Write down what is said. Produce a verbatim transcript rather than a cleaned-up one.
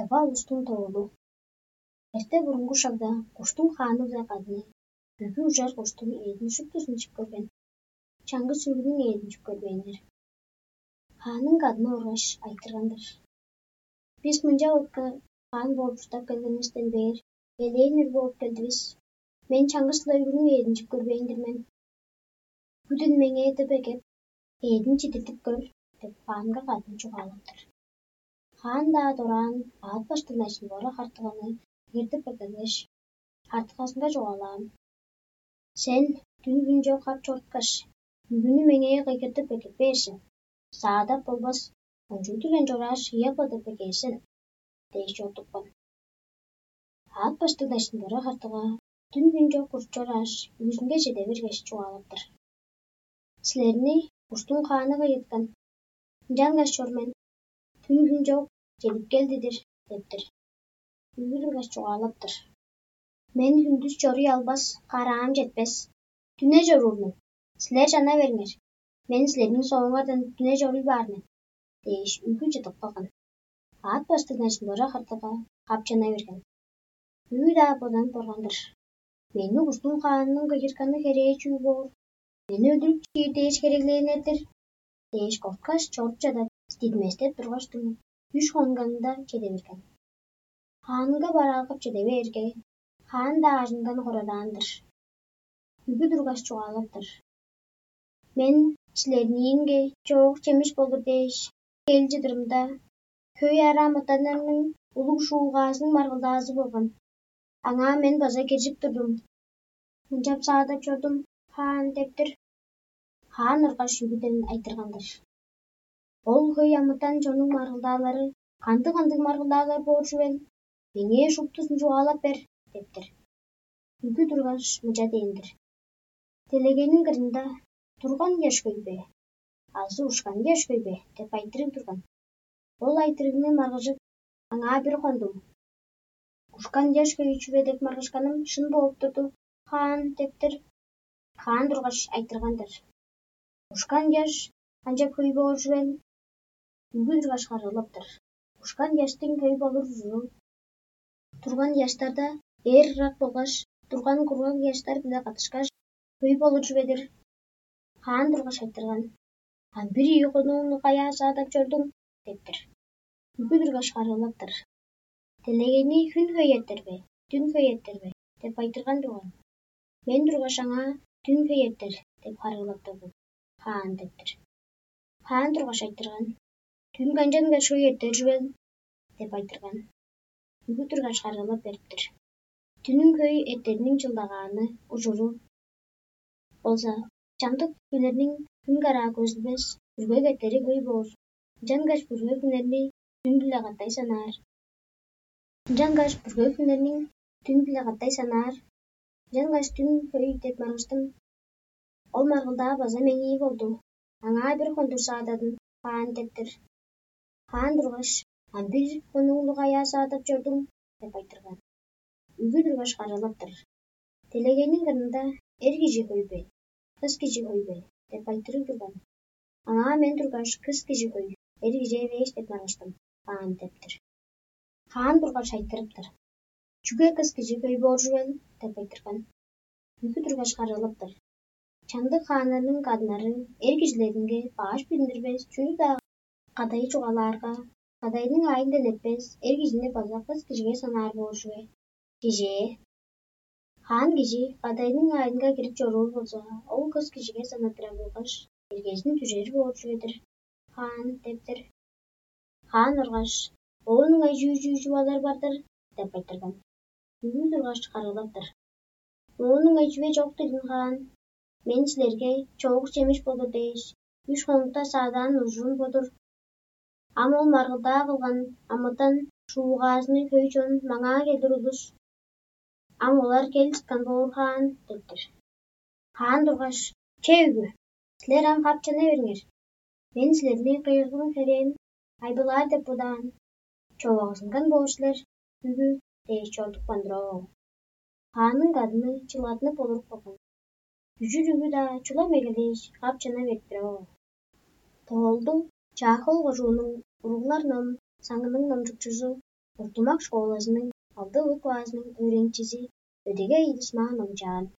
Тыва улустуң тоолу. Эрте бурунгу шагда куштуң хааны биле кадны, бүгү ужар куштуң эъдин шуптузун чип көрген. Чаңгыс бүгүнүң эъдин чип көрбээннер. Хааның кадны оргаш, айтырган-дыр: «Бис мынча отка хаан бооп чурттап келгенивистен бээр элээн үр бооп келдивис. Мен чаңгыс-ла бүгүнүң эъдин чип көрбээн-дир мен. Бүгүден меңээ деп эгеп, эъдин чидиртип көр» — деп, хаанга кадны чугаалап-тыр. Хаан-даа дораан аът баштыңнажын бора хартыганы кыйгыртып эгелгеш, хартыгазынга чугаалаан: «Сен дүн-хүн чок хап чоруткаш, бүгүнү меңээ кыйгыртып эгеп бээр сен. Саадап болбас, кончуг-дур мен чорааш, ыяп-ла деп эгээр сен» — дээш чорудупкан. Аът баштыңнажын бора хартыга дүн-хүн чок куруп чорааш, үжүнге чеде бергеш, чугаалап-тыр: «Силерни куштуң хааны кыйгырткан. Ынчангаш чор мен, дүн-хүн чок чедип келди-дир» — деп-тир. Бүгү тургаш чугаалап-тыр: «Мен хүндүс чоруй албас, караам четпес. Дүне чоруур мен. Силер чана бериңер. Мен силерниң соңуңардан дүне чоруй баар мен» — дээш, үгү чыдып калган. Аът баштыңнажын бора хартыга капчана берген. Бүгү-даа боданып барган-дыр: «Мени куштуң хаанының кыйгыртканы херээ чүү боор? Мени өлүрүп чиир дээш хереглээннер-дир» — дээш корткаш, чоруп чадап, дидиместеп тургаштың, үш хонганда чеде берген. Хаанынга бараалгап чеде бээрге, хаан-даа ажындан хорадаан-дыр. Бүгү тургаш чугаалап-тыр: «Мен силерниинге чоок чемиш болур дээш кел чыдырымда, хөй ара амытаннарның улуг шуугаазының маргылдаазы болган. Аңаа мен база киржип турдум. Мынчап саадап чордум, хаан» — деп-тир. Хаан ыргаш үгүден айтырган-дыр: «Ол хөй амытан чоннуң маргылдаалары кандыг-кандыг маргылдаалар боор чүвел? Меңээ шуптузун чугаалап бер» — деп-тир. Үгү тургаш, мынча дээн-дир: «Делегейниң кырында турган ыяш хөй бе азы ушкан ыяш хөй бе?» — деп айтырыг турган. Ол айтырыгны маргыжып, аңаа бир хондум: «Ушкан ыяш хөй чүве деп маргышканым шын бооп турду, хаан» — деп-тир. Хаан тургаш айтырган-дыр: «Ушкан ыяш канчап хөй боор чүвел?» Үгү тургаш харыылап-тыр: «Ушкан ыяштың хөй болур ужуру турган ыяштарда эр ырак болгаш турган кургаг ыяштар-биле каттышкаш, хөй болур чүве-дир». Хаан тургаш айтырган: «Ам бир ийи хонууну каяа саадап чордуң?» — деп-тир. Үгү тургаш харыылап-тыр: «Делегейни хүн хөй эртер бе, дүн хөй эртер бе?» — деп айтырган турган. Мен тургаш аңаа: «Дүн хөй эртер» — деп харыылап турдум, хаан деп-тир. Хаан тургаш айтырган: «Дүн канчангаш хөй эртер чүвел?» — деп айтырган. Бүгү тургаш харыылап берип-тир: «Дүнүң хөй эртериниң чылдагааны, ужуру болза, чамдык хүннерниң хүн караа көзүлбес, бүргек эртери хөй боор, ынчангаш бүргек хүннерни дүн-биле катай санаар. Ынчангаш бүргек хүннерниң дүн-биле катай санаар, ынчангаш дүн хөй деп маргыштым. Ол маргылдаа база меңээ болду. Аңаа бир хондур саададым, хаан» — деп-тир. Хаан тургаш: «Ам бир хонууну каяа саадап чордуң?» — деп айтырган. Үгү тургаш харыылап-тыр: «Делегейниң кырында эр кижи хөй бе, кыс кижи хөй бе?» — деп айтырыг турган. Аңаа мен тургаш: «Кыс кижи хөй, эр кижи эвээш» — деп маргыштым, хаан деп-тир. Хаан тургаш айтырып-тыр: «Чүге кыс кижи хөй боор чүвел?» — деп айтырган. Бүгү тургаш харыылап-тыр: «Чамдык хааннарның кадыннары эр кижилеринге баш билиндирбес чүнү-даа кадай чугаалаарга, кадайның аайындан эртпес эр кижини база кыс кижиге санаар боор чүве. Кижээ, хаан кижи кадайның аайынга кирип чоруур болза, ол кыс кижиге санаттырар болгаш, эргезин дүжер боор чүве-дир, хаан» — деп-тир. Хаан ыргаш: «Оон ыңай чүү-чүү чугаалаар бар-дыр?» — деп айтырган. Бүгү тургаш харыылап-тыр: «Оон ыңай чүве чок дидин, хаан. Мен силерге чоок чемиш болур дээш, үш хонукта саадаан ужурум бо-дур. Ам ол маргылдаа кылган амытан шуугаазының хөй чонун маңаа келир улус. Ам олар кел чыткан боор, хаан» — деп-тир. Хаан тургаш: «Че, үгү, силер ам хап чана бериңер. Мен силерниң кыйгырган херээн айбылаар деп бодаан, човагызынган боор силер, үгү» — дээш чорудупкан-дыр оо. Хаанның кадыны чылгатынып болуруп калган. Үжүр үгү-даа чулам эгелээш, хап чана берип-тир оо. Тоолду Чаа-Хөл кожууннуң уруглар ном саңының номчукчузу Ортумак школазының алды классының өөреникчизи Өдегей Идисман номчаан.